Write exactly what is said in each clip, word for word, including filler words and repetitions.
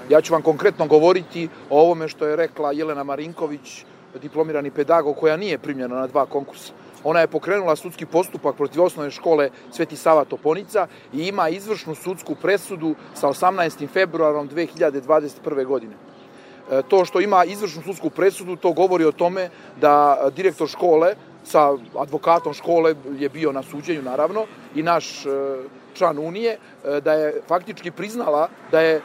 Ja ću vam konkretno govoriti o ovome što je rekla Jelena Marinković, diplomirani pedagog, koja nije primljena na dva konkursa. Ona je pokrenula sudski postupak protiv osnovne škole Sveti Sava Toponica i ima izvršnu sudsku presudu sa osamnaestim februarom dve hiljade dvadeset prve. godine. To što ima izvršnu sudsku presudu, to govori o tome da direktor škole sa advokatom škole je bio na suđenju, naravno, i naš član Unije, da je faktički priznala da je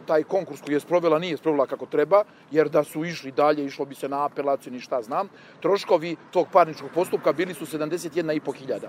taj konkurs koji je sprovela nije sprovela kako treba, jer da su išli dalje, išlo bi se na apelaciju, ni šta znam. Troškovi tog parničkog postupka bili su sedamdeset jedna i po hiljada.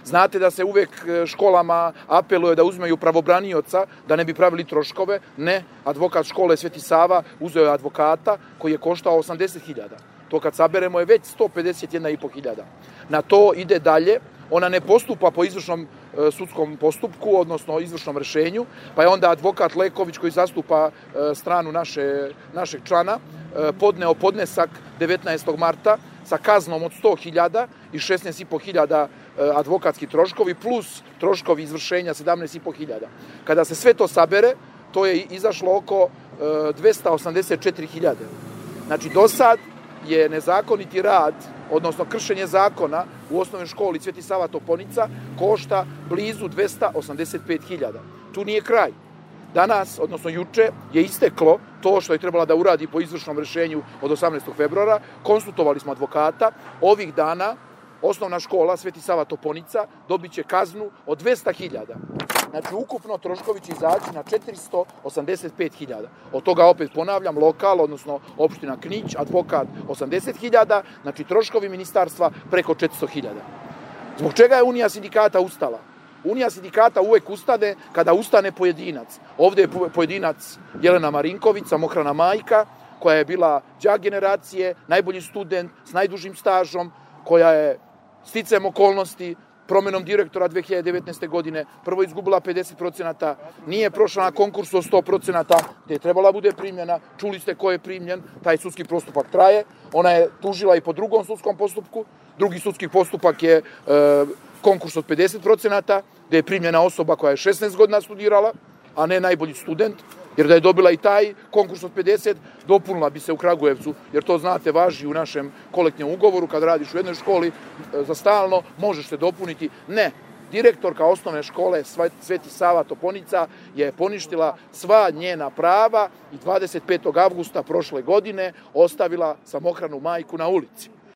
Znate da se uvek školama apeluje da uzmeju pravobranioca, da ne bi pravili troškove. Ne, advokat škole Sveti Sava uzeo je advokata koji je koštao osamdeset hiljada. To kad saberemo je već sto pedeset jedna i po hiljada. Na to ide dalje. Ona ne postupa po izvršnom e, sudskom postupku, odnosno izvršnom rešenju, pa je onda advokat Leković, koji zastupa e, stranu naše, našeg člana, e, podneo podnesak devetnaestog marta sa kaznom od sto hiljada i šesnaest i po hiljada e, advokatski troškovi, plus troškovi izvršenja sedamnaest i po hiljada. Kada se sve to sabere, to je izašlo oko e, dvesta osamdeset četiri hiljade. Znači, do sad je nezakoniti rad, odnosno kršenje zakona u osnovnoj školi Sveti Sava Toponica košta blizu dvesta osamdeset pet hiljada. Tu nije kraj. Danas, odnosno juče, je isteklo to što je trebala da uradi po izvršnom rešenju od osamnaestog februara. Konsultovali smo advokata. Ovih dana osnovna škola Sveti Sava Toponica dobit će kaznu od dvesta hiljada. Znači, ukupno troškovi će izaći na četiristo osamdeset pet hiljada. Od toga, opet ponavljam, lokal, odnosno opština Knić, advokat osamdeset hiljada, znači troškovi ministarstva preko četiristo hiljada. Zbog čega je Unija sindikata ustala? Unija sindikata uvek ustane kada ustane pojedinac. Ovde je pojedinac Jelena Marinković, samohrana majka, koja je bila đak generacije, najbolji student s najdužim stažom, koja je sticajem okolnosti, promenom direktora dve hiljade devetnaeste. godine, prvo izgubila pedeset procenata, nije prošla na konkursu od sto procenata, gde je trebala bude primljena, čuli ste ko je primljen, taj sudski postupak traje, ona je tužila i po drugom sudskom postupku, drugi sudski postupak je e, konkurs od pedeset procenata, gde je primljena osoba koja je šesnaest godina studirala, a ne najbolji student, jer da je dobila i taj konkurs od pedeset, dopunila bi se u Kragujevcu, jer to, znate, važi u našem kolektivnom ugovoru, kad radiš u jednoj školi za stalno, možeš se dopuniti. Ne, direktorka osnovne škole Sveti Sava Toponica je poništila sva njena prava i dvadeset petog avgusta prošle godine ostavila samohranu majku na ulici.